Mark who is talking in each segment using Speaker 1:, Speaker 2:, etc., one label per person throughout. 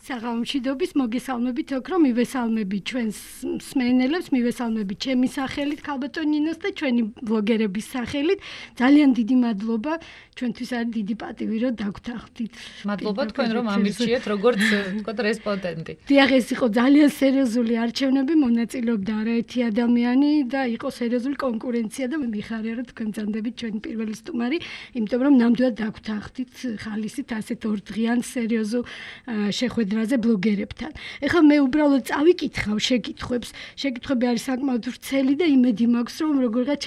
Speaker 1: საღამომშვიდობის მოგესალმებით ოქრო, მივესალმებით ჩვენს მსმენელებს, მივესალმებით ჩემი სახელით ქალბატონ ნინოს და ჩვენი ბლოგერების სახელით. ძალიან დიდი მადლობა, ჩვენთვის არის დიდი პატივი, რომ დაგვთანხმდით.
Speaker 2: მადლობა თქვენ რომ ამირჩიეთ როგორც ვთქვათ რესპონდენტი.
Speaker 1: დიახ, ეს იყო ძალიან სერიოზული არჩევნები, მონაწილეობდა არაერთი ადამიანი და იყო სერიოზული კონკურენცია და მიხარია რომ თქვენ ძანდებით ჩვენი პირველი სტუმარი, იმიტომ რომ ნამდვილად დაგვთანხმდით ხალისით ასეთ ორდღიან სერიოზულ შეხვედრაზე ბლოგერებთან. ეხლა მე უბრალოდ წავიკითხავ შეკითხვებს. შეკითხვები არის საკმაოდ ვრცელი და იმედი მაქვს რომ როგორღაც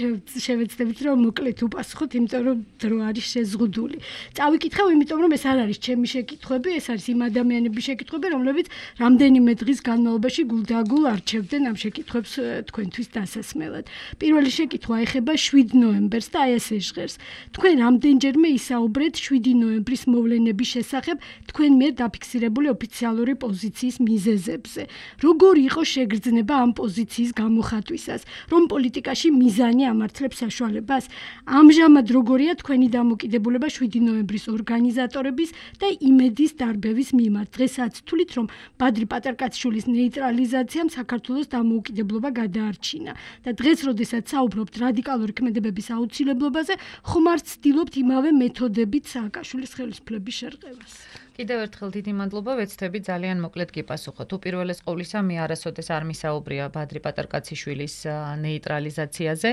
Speaker 1: შევეცდებით რომ მოკლედ უპასუხოთ, იმიტომ რომ დრო არის შეზღუდული. წავიკითხავ, იმიტომ რომ ეს არ არის ჩემი შეკითხვები, ეს არის იმ ადამიანების შეკითხვები, რომლებიც რამდენიმე დღის განმავლობაში გულდაგულ არჩევდნენ ამ შეკითხვებს თქვენთვის დასასმელად. პირველი შეკითხვა ეხება 7 ნოემბერს და აი ეს ჟღერს. თქვენ რამდენჯერმე ისაუბრეთ 7 ნოემბრის მოვლენების შესახებ თქვენ მიერ დაფიქსირებული ოფიციალური პოზიციის მიზეზებზე. როგორი იყო შეგრძნება ამ პოზიციის გამოხატვისას, რომ პოლიტიკაში მიზანი ამართლებს საშუალებას? ამჟამად როგორია თქვენი დამოკიდებულება 7 ნოემბრის ორგანიზატორების და იმედის დარბევის მიმართ? დღესაც თვლით, რომ ბადრი პატარკაციშვილის ნეიტრალიზაციამ საქართველოს დამოუკიდებლობა გადაარჩინა და დღეს, როდესაც საუბრობთ რადიკალური ქმედებების აუცილებლობაზე, ხომ არ ცდილობთ იმავე მეთოდებით სააკაშვილის ხელისუფლების შერყევას?
Speaker 2: კიდევ ერთხელ დიდი მადლობა, ვეცდები ძალიან მოკლედ გიპასუხოთ. უპირველეს ყოვლისა, მე არასოდეს არ მისაუბრია ბადრი პატარკაციშვილის ნეიტრალიზაციაზე.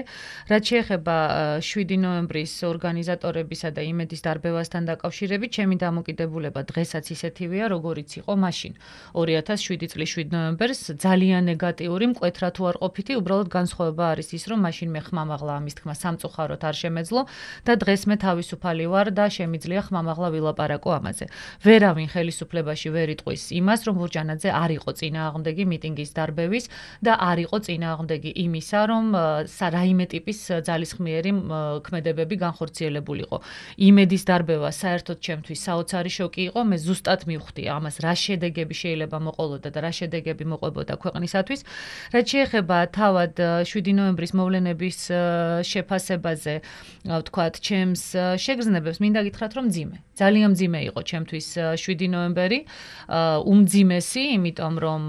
Speaker 2: რაც შეეხება 7 ნოემბრის ორგანიზატორებისა და იმედის დარბევასთან დაკავშირებით, ჩემი დამოკიდებულება დღესაც ისეთივეა, როგორიც იყო მაშინ. 2007 წლის 7 ნოემბერს ძალიან ნეგატიური, მკვეთრად თუ არ ყოფითი, უბრალოდ განსხვავება არის ის, რომ მაშინ მე ხმამაღლა ამის თქმა სამწუხაროდ არ შემეძლო და დღეს მე თავისუფალი ვარ და შემიძლია ხმამაღლა ვილაპარაკო ამაზე. ვერავინ ხელისუფლებაში ვერ იტყვის იმას, რომ ბურჯანაძე არ იყო წინააღმდეგი მიტინგის დარბევის და არ იყო წინააღმდეგი იმისა, რომ რაიმე ტიპის ძალისხმიერი ქმედებები განხორციელებულიყო. იმედის დარბევა საერთოდ ჩემთვის საოცარი შოკი იყო, მე ზუსტად მივხვდი ამას, რა შედეგები შეიძლება მოყოლოდა და რა შედეგები მოყვებოდა ქვეყნისათვის. რაც შეეხება თავად 7 ნოემბრის მოვლენების შეფასებაზე, ვთქვათ, ჩემს შეგრძნებებს მინდა გითხრათ, რომ მძიმე. ძალიან მძიმე იყო ჩემთვის 7 ნოემბერი, უმძიმესი, იმიტომ რომ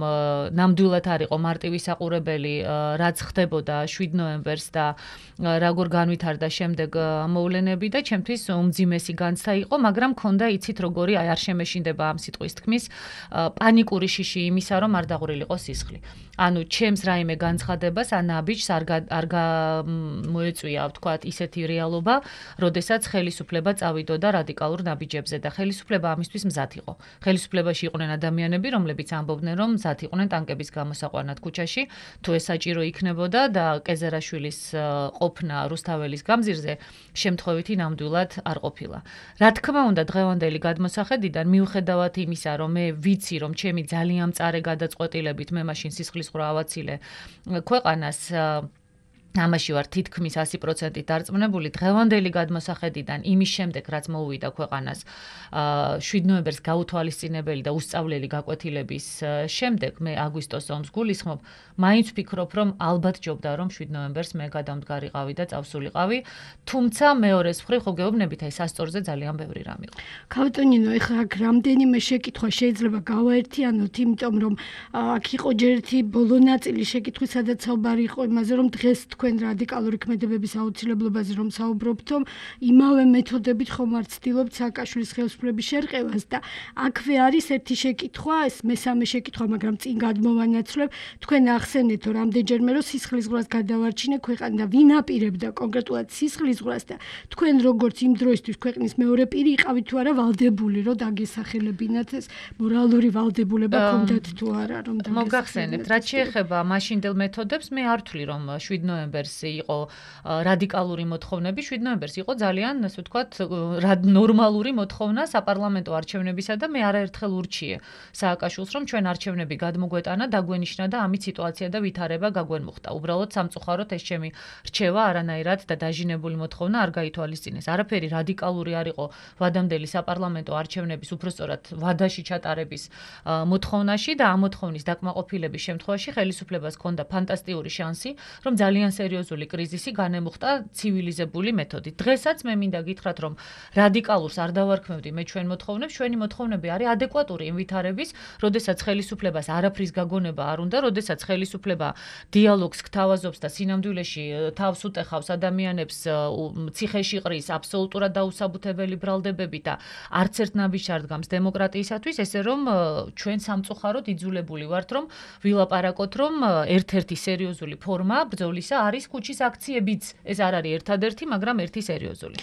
Speaker 2: ნამდვილად არ იყო მარტივი საყურებელი, რაც ხდებოდა 7 ნოემბერს და როგორ განვითარდა შემდეგ მოვლენები და ჩემთვის უმძიმესი განცდა იყო, მაგრამ მქონდა იცით როგორი არ შემეშინდება ამ სიტყვის თქმის პანიკური შიში იმისა, რომ არ დაღვრილიყო სისხლი. ანუ ჩემს რაიმე განცხადებას ან ნაბიჯს არ მოეწვია, ვთქვათ, ისეთი რეალობა, როდესაც ხელისუფლება წავიდოდა რადიკალურ ნაბიჯებზე და ხელისუფლება ამისთვის მზად იყო. ხელისუფლებაში იყვნენ ადამიანები, რომლებიც ამბობდნენ, რომ მზად იყვნენ ტანკების გამოსაყვანად ქუჩაში, თუ ეს საჭირო იქნებოდა და კეზერაშვილის ყოფნა რუსთაველის გამზირზე შემთხვევითი ნამდვილად არ ყოფილა. რა თქმა უნდა, დღევანდელი გადმოსახედიდან მიუხედავად იმისა, რომ მე ვიცი, რომ ჩემი ძალიან მწარე გადაწყვეტილებით მე მაშინ სისხლის ყრა ავაცილე ქვეყანას ამაში ვარ თითქმის 100% დარწმუნებული, დღევანდელი გადმოსახედიდან იმის შემდეგ, რაც მოუვიდა ქვეყანას 7 ნოემბერს გაუთვალისწინებელი და უსწავლელი გაკვეთილების შემდეგ, მე აგვისტოს ომს გულისხმობ, მაინც ვფიქრობ, რომ ალბათ ჯობდა, რომ 7 ნოემბერს მე გადამდგარიყავი და წავსულიყავი, თუმცა მეორეს მხრივ ხო გეუბნებით, აი სასწორზე ძალიან ბევრი რამ იყო.
Speaker 1: ქალბატონ ნინო, ეხლა აქ რამდენიმე შეკითხვა შეიძლება გავაერთიანოთ, იმიტომ რომ აქ იყო ჯერ ერთი ბოლო ნაწილი შეკითხვის, სადაც საუბარი იყო იმაზე, რომ დღეს თქვენ რადიკალური ქმედებების აუცილებლობაზე რომ საუბრობთო, იმავე მეთოდებით ხომ არ ცდილობთ სააკაშვილის ხელისუფლების შერყევას და აქვე არის ერთი შეკითხვა, ეს მესამე შეკითხვა, მაგრამ წინ გადმოვანაცვლებ, თქვენ ახსენეთო რამდენჯერმე რომ სისხლისღვრას გადავარჩინა ქვეყანა და ვინ აპირებდა კონკრეტულად სისხლისღვრას და თქვენ როგორც იმ დროისთვის ქვეყნის მეორე პირი იყავით თუ არა ვალდებული რომ დაგესახელებინათ ეს მორალური ვალდებულება ქონდათ თუ არა რომ
Speaker 2: მოგახსენებთ, რაც შეეხება მაშინდელ მეთოდებს, მე არ ვთვლი რომ 7 ნოემბერს იყო რადიკალური მოთხოვნები, 7 ნოემბერს იყო ძალიან, ასე ვთქვათ, ნორმალური მოთხოვნა საპარლამენტო არჩევნებისა და მე არაერთხელ ურჩიე სააკაშვილს, რომ ჩვენ არჩევნები გადმოგვეტანა, დაგვენიშნა და ამით სიტუაცია და ვითარება გაგვენმუხტა. უბრალოდ სამწუხაროდ ეს ჩემი რჩევა არანაირად და დაჟინებული მოთხოვნა არ გაითვალისწინეს. არაფერი რადიკალური არ იყო ვადამდელი საპარლამენტო არჩევნების უბრალოდ ვადაში ჩატარების მოთხოვნაში და ამ მოთხოვნის დაკმაყოფილების შემთხვევაში ხელისუფლებას ჰქონდა ფანტასტიკური შანსი, რომ ძალიან სერიოზული კრიზისი განემუხტა ცივილიზებული მეთოდით. დღესაც მე მინდა გითხრათ, რომ რადიკალურს არ დავარქმევდი მე ჩვენ მოთხოვნებს, ჩვენი მოთხოვნები არის ადეკვატური იმ ვითარების, როდესაც ხელისუფლებას არაფრის გაგონება არ უნდა, როდესაც ხელისუფლება დიალოგს გთავაზობს და სინამდვილეში თავს უტეხავს ადამიანებს, ციხეში ყრის აბსოლუტურად დაუსაბუთებელი ბრალდებები და არც ერთ ნაბიჯს არ დგამს დემოკრატიისათვის, ესე რომ ჩვენ სამწუხაროდ იძულებული ვართ, რომ ვილაპარაკოთ, რომ ერთ-ერთი სერიოზული ფორმა ბრძოლისა არის ქუჩის აქციებიც. ეს არ არის ერთადერთი, მაგრამ ერთი სერიოზული.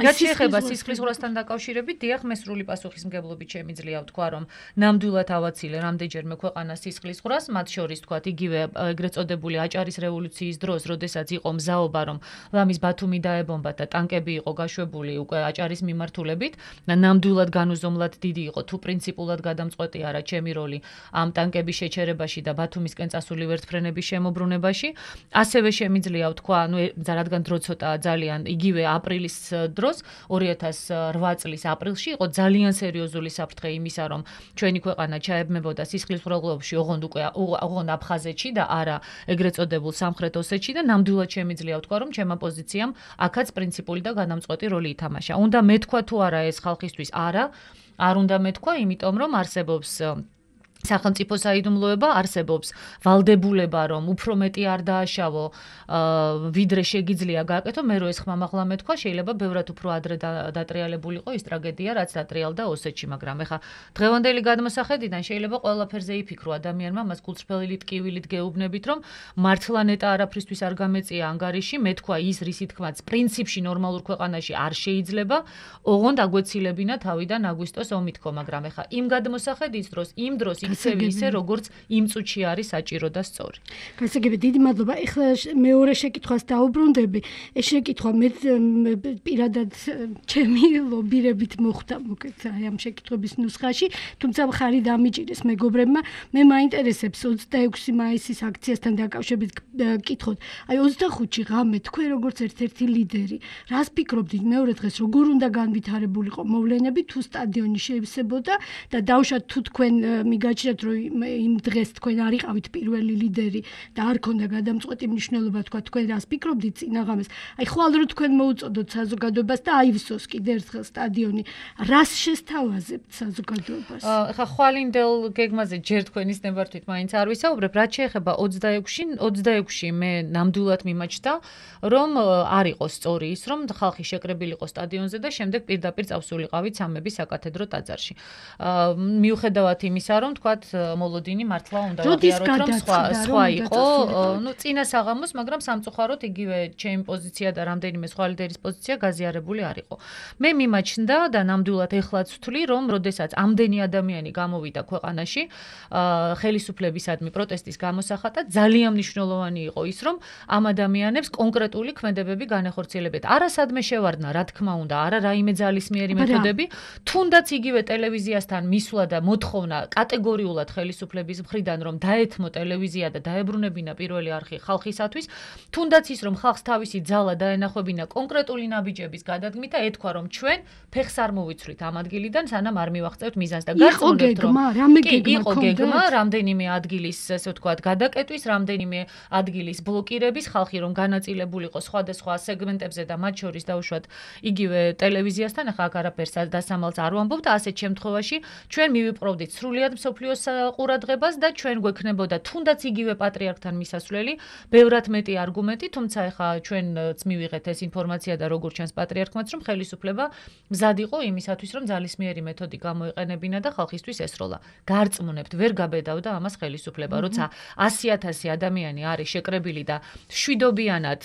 Speaker 2: რაც შეეხება სისხლისღვრასთან დაკავშირებით, დიახ, მე სრული პასუხისმგებლობით შემიძლია ვთქვა, რომ ნამდვილად ავაცილე რამდენჯერმე ქვეყანას სისხლისღვრას, მათ შორის თქვათ იგივე ეგრეთ წოდებული აჭარის რევოლუციის დროს, როდესაც იყო მზაობა, რომ ლამის ბათუმი დაებომბათ და ტანკები იყო გაშვებული უკვე აჭარის მიმართულებით, ნამდვილად განუზომლად დიდი იყო თუ პრინციპულად გადამწყვეტი არა ჩემი როლი ამ ტანკების შეჩერებაში და ბათუმისკენ წასული ვერტმფრენების შემოbrunებაში. ასევე შემიძლია ვთქვა, რადგან დრო ცოტაა ძალიან, იგივე აპრილის დროს 2008 წლის აპრილში იყო ძალიან სერიოზული საფრთხე იმისა, რომ ჩვენი ქვეყანა ჩაებმებოდა სისხლისღვრალობებში, ოღონდ აფხაზეთში და არა ეგრეთ წოდებულ სამხრეთ ოსეთში და ნამდვილად შემიძლია ვთქვა, რომ ჩემმა პოზიციამ აქაც პრინციპული და გადამწყვეტი როლი ითამაშა. უნდა მეთქვა თუ არა ეს ხალხისთვის? არა, არ უნდა მეთქვა, იმიტომ რომ არსებობს სახელმწიფო საიდუმლოება, არსებობს ვალდებულება, რომ უფრო მეტი არ დააშავო, ვიდრე შეგიძლია გააკეთო, მე რო ეს ხმამაღლა მეთქვა, შეიძლება ბევრად უფრო ადრე დატრიალებულიყო ის ტრაგედია, რაც დატრიალდა ოსეთში, მაგრამ ეხა დღევანდელი გადმოსახედიდან შეიძლება ყველაფერზე იფიქრო ადამიანმა, მას გულწრფელი ტკივილით გეუბნებით, რომ მართლა ნეტა არაფრისთვის არ გამეწია ანგარიში, მეთქვა ის, რისი თქმაც პრინციპში ნორმალურ ქვეყანაში არ შეიძლება, ოღონდ აგვეცილებინა თავიდან აგვისტოს ომითქო, მაგრამ ეხა იმ გადმოსახედის დროს, იმ დროს ისე როგორც იმ წუთში არის საჭირო და სწორი.
Speaker 1: გასაგები, დიდი მადლობა. ეხლა მეორე შეკითხვას დაუბრუნდები. ეს შეკითხვა მე პირადად ჩემი ლობირებით მოხდა მოკეთ აი ამ შეკითხვების ნუსხაში, თუმცა მხარი დამიჭირეს მეგობრებმა. მე მაინტერესებს 26 მაისის აქციასთან დაკავშირებით კითხოთ. აი 25-ში ღამე თქვენ როგორც ერთ-ერთი ლიდერი, რას ფიქრობდით მეორე დღეს როგორ უნდა განვითარებულიყო მოვლენები თუ სტადიონი შეივსებოდა და დავუშვათ თუ თქვენ მიგაჩნიათ რომ იმ დღეს თქვენ არ იყავით პირველი ლიდერი და არ ქონდა გადამწყვეტი მნიშვნელობა თქვა თქვენ რას ფიქრობდით წინაღამეს. აი ხვალ რო თქვენ მოუწოდოთ საზოგადოებას და აივსოს კიდე ერთხელ სტადიონი, რას შესთავაზებთ საზოგადოებას?
Speaker 2: ხა ხვალინდელ გეგმაზე ჯერ თქვენის ნებართვით მაინც არ ვისაუბრებ, რაც შეეხება 26-ში მე ნამდვილად მიმაჩნდა, რომ არ იყოს სწორი ის, რომ ხალხი შეკრებილიყო სტადიონზე და შემდეგ პირდაპირ წავსულიყავით სამების საკათედრო ტაძარში. მიუხედავად იმისა, რომ თქვათ მოლოდინი მართლა უნდა აღიაროთ, რომ სხვა იყო, წინა საღამოს, მაგრამ სამწუხაროდ იგივე ჩემი პოზიცია და რამდენიმე სხვა ლიდერის პოზიცია გაზიარებული არ იყო. მე მიმაჩნდა და ნამდვილად ეხლაც ვთვლი, რომ როდესაც ამდენი ადამიანი გამოვიდა ქვეყანაში, ხელისუფლებისადმი პროტესტის გამოსახატად, ძალიან მნიშვნელოვანი იყო ის, რომ ამ ადამიანებს კონკრეტული ქმედებები განეხორციელებათ. არასადმე შევარდნა, რა თქმა უნდა, არა რაიმე ძალისმიერი მეთოდები, თუნდაც იგივე ტელევიზიასთან მისვლა და მოთხოვნა კატეგორიულად ხელისუფლების მხრიდან, რომ დაეთმო ტელევიზია და დაებრუნებინა პირველი არხი ხალხისათვის, თუნდაც ის, რომ ხალხს თავისი ძალა დაენახვებინა კონკრეტული ნაბიჯების გადადგმით და ეთქვა, რომ ჩვენ ფეხს არ მოვიცვლით ამ ადგილიდან, სანამ არ მივაღწევთ მიზანს და გასწორებთ, რომ იყო გეგმა, რამდენიმე ადგილის, ესე ვთქვათ, გადაკეტვის, რამდენიმე ადგილის ბლოკირების, ხალხი რომ განაწილებულიყო სხვადასხვა სეგმენტებზე და მათ შორის დაუშვათ იგივე ტელევიზიასთან, ახლა აქ არაფერს დასამალს არ ვამბობ და ასეთ შემთხვევაში ჩვენ მივიპყრობდით სრულიად მსოფლიოს ყურადღებას და ჩვენ გვექნებოდა თუნდაც იგივე პატრიარქთან მისასვლელი, ბევრად მეტი არგუმენტი, თუმცა ახლა ჩვენც მივიღეთ ეს ინფორმაცია და როგორც ჩანს პატრიარქმაც, რომ ხელისუფლება მზად იყო იმისათვის, რომ ძალისმიერი მეთოდი გამოეყენებინა და ხალხისთვის ესროლა. გარწმუნებთ, ვერ გაბედავდა ამას ხელისუფლება, როცა 100,000 ადამიანი არის შეკრებილი და შვიდობიანად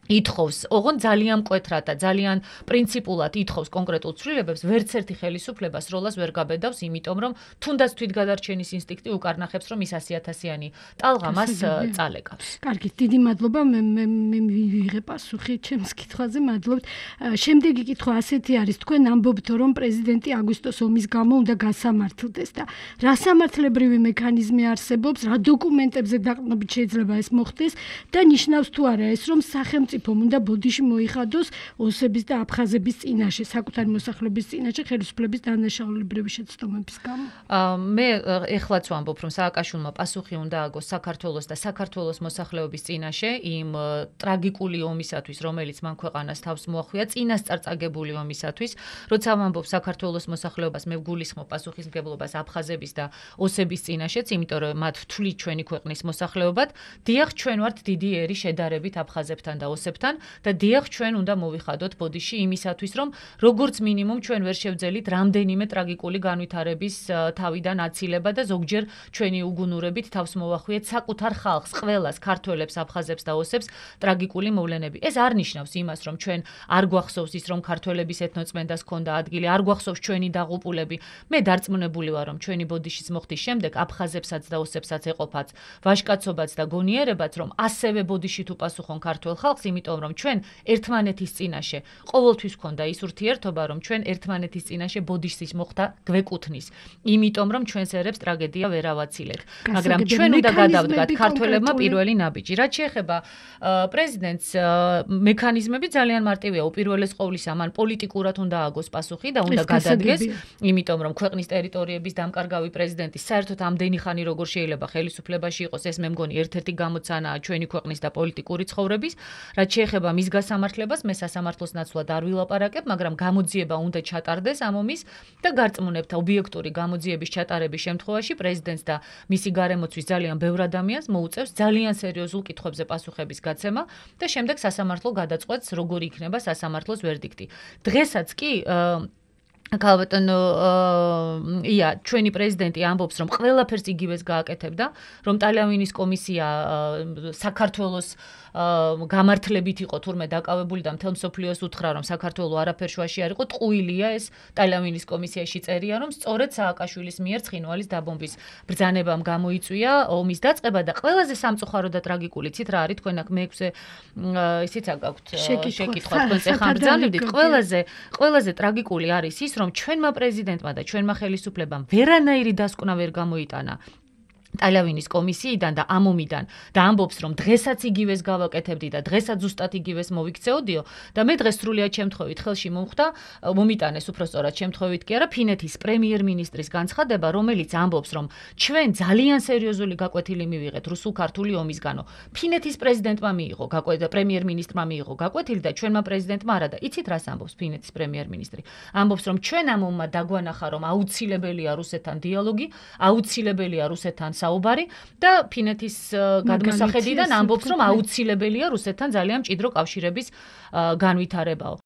Speaker 2: ითხოვს, ოღონდ ძალიან მკვეთრად და ძალიან პრინციპულად ითხოვს კონკრეტულ ცვლილებებს, ვერც ერთი ხელისუფლება სროლას ვერ გაბედავს, იმიტომ რომ თუნდაც თვითგადარჩენის ინსტინქტი უკარნახებს, რომ ის 100,000-იანი ტალღა მას წალეკავს.
Speaker 1: კარგი, დიდი მადლობა, მე მივიღე პასუხი ჩემს კითხვაზე, მადლობთ. შემდეგი კითხვა ასეთი არის, თქვენ ამბობთ, რომ პრეზიდენტი აგვისტოს ომის გამო უნდა გასამართლდეს და რა სამართლებრივი მექანიზმი არსებობს, რა დოკუმენტებზე დაყრდნობით შეიძლება ეს მოხდეს და ნიშნავს თუ არა ეს, რომ სახელმწიფო სახელმწიფომ უნდა ბოდიში მოიხადოს ოსების და აფხაზების წინაშე, საკუთარი მოსახლეობის წინაშე ხელისუფლების დანაშაულებრივი შეცდომების გამო.
Speaker 2: მე ეხლაც ვამბობ, რომ სააკაშვილმა პასუხი უნდა აგოს საქართველოს და საქართველოს მოსახლეობის წინაშე იმ ტრაგიკული ომისათვის, რომელიც მან ქვეყანას თავს მოახვია, წინასწარ წაგებული ომისათვის, როცა ვამბობ საქართველოს მოსახლეობას, მე ვგულისხმობ პასუხისმგებლობას აფხაზების და ოსების წინაშეც, იმიტომ რომ მათ ვთვლით ჩვენი ქვეყნის მოსახლეობად, დიახ, ჩვენ ვართ დიდი ერი შედარებით აფხაზებთან და ოსებთან და დიახ, ჩვენ უნდა მოვიხადოთ ბოდიში იმისათვის, რომ როგორც მინიმუმ ჩვენ ვერ შევძელით რამდენიმე ტრაგიკული განვითარების თავიდან აცილება და ზოგჯერ ჩვენი უგუნურებით თავს მოვახვიეთ საკუთარ ხალხს, ყველას, ქართველებს, აფხაზებს და ოსებს ტრაგიკული მოვლენები. ეს არ ნიშნავს იმას, რომ ჩვენ არ გვახსოვს ის, რომ ქართველების ეთნოწმენდას ჰქონდა ადგილი, არ გვახსოვს ჩვენი დაღუპულები. მე დარწმუნებული ვარ, რომ ჩვენი ბოდიშის მოხდის შემდეგ აფხაზებსაც და ოსებსაც ეყოფათ ვაჟკაცობაც და გონიერებაც, რომ ასევე ბოდიში თუ პასუხონ ქართველ ხალხს, იმიტომ რომ ჩვენ ერთმანეთის წინაშე ყოველთვის ჰქონდა ის ურთიერთობა, რომ ჩვენ ერთმანეთის წინაშე ბოდიშის მოხდა გვეკუთვნის, იმიტომ რომ ჩვენს ერებს ტრაგედია ვერ ავაცილეთ. მაგრამ ჩვენ უნდა გადავდგათ ქართველებმა პირველი ნაბიჯი. რაც შეეხება პრეზიდენტს, მექანიზმები ძალიან მარტივია. უპირველეს ყოვლისა, მან პოლიტიკურად უნდა აგოს პასუხი და უნდა გადადგეს, იმიტომ რომ ქვეყნის ტერიტორიების დამკარგავი პრეზიდენტი საერთოდ ამდენი ხანი როგორ შეიძლება ხელისუფლებაში იყოს, ეს მე მგონი ერთ-ერთი გამოცანაა ჩვენი ქვეყნის და პოლიტიკური ცხოვრების. რაც შეეხება მის გასამართლებას, მე სასამართლოს ნაცვლად არ ვილაპარაკებ, მაგრამ გამოძიება უნდა ჩატარდეს ამ ომის და გარწმუნებთ, ობიექტური გამოძიების ჩატარების შემთხვევაში პრეზიდენტს და მისი გარემოცვის ძალიან ბევრ ადამიანს მოუწევს ძალიან სერიოზულ კითხვებზე პასუხების გაცემა და შემდეგ სასამართლო გადაწყვეტს, როგორი იქნება სასამართლოს ვერდიქტი. დღესაც კი ქალბატონო ჩვენი პრეზიდენტი ამბობს, რომ ყველაფერს იგივეს გააკეთებდა, რომ ტალიანის კომისია საქართველოს გამართლებით იყო თურმე დაკავებული და მთელ მსოფლიოს უთხრა, რომ საქართველო არაფერ შუაში არ იყო, ტყუილია ეს ტალიანის კომისიაში წერია, რომ სწორედ სააკაშვილის მიერ ცხინვალის დაბომბვის ბრძანებამ გამოიწვია ომის დაწყება და ყველაზე სამწუხარო და ტრაგიკული ცით რა არის, თქვენ აქ მე-6 ისიც აგაქვთ შეკითხვა, თქვენ ეხლა ბრძანებდით, ყველაზე ტრაგიკული არის ის, რომ ჩვენმა პრეზიდენტმა და ჩვენმა ხელისუფლებამ ვერანაირი დასკვნა ვერ გამოიტანა ტალიანის კომისიიდან და ამ ომიდან და ამბობს, რომ დღესაც იგივეს გავაკეთებდი და დღესაც ზუსტად იგივეს მოვიქცეოდიო და მე დღეს სრულიად შემთხვევით ხელში მომიტანეს უბრალოდ შემთხვევით კი არა ფინეთის პრემიერ-მინისტრის განცხადება, რომელიც ამბობს, რომ ჩვენ ძალიან სერიოზული გაკვეთილი მივიღეთ რუსულ-ქართული ომისგანო. ფინეთის პრეზიდენტმა მიიღო გაკვეთილი, პრემიერ-მინისტრმა მიიღო გაკვეთილი და ჩვენმა პრეზიდენტმა არა და იცით რას ამბობს ფინეთის პრემიერ-მინისტრი? ამბობს, რომ ჩვენ ამ ომმა დაგვანახა, რომ აუცილებელია რუსეთთან დიალოგი, აუცილებელია რუსეთთან საუბარი და ფინეთის გადმოსახედიდან ამბობს, რომ აუცილებელია რუსეთთან ძალიან მჭიდრო კავშირების განვითარებაო.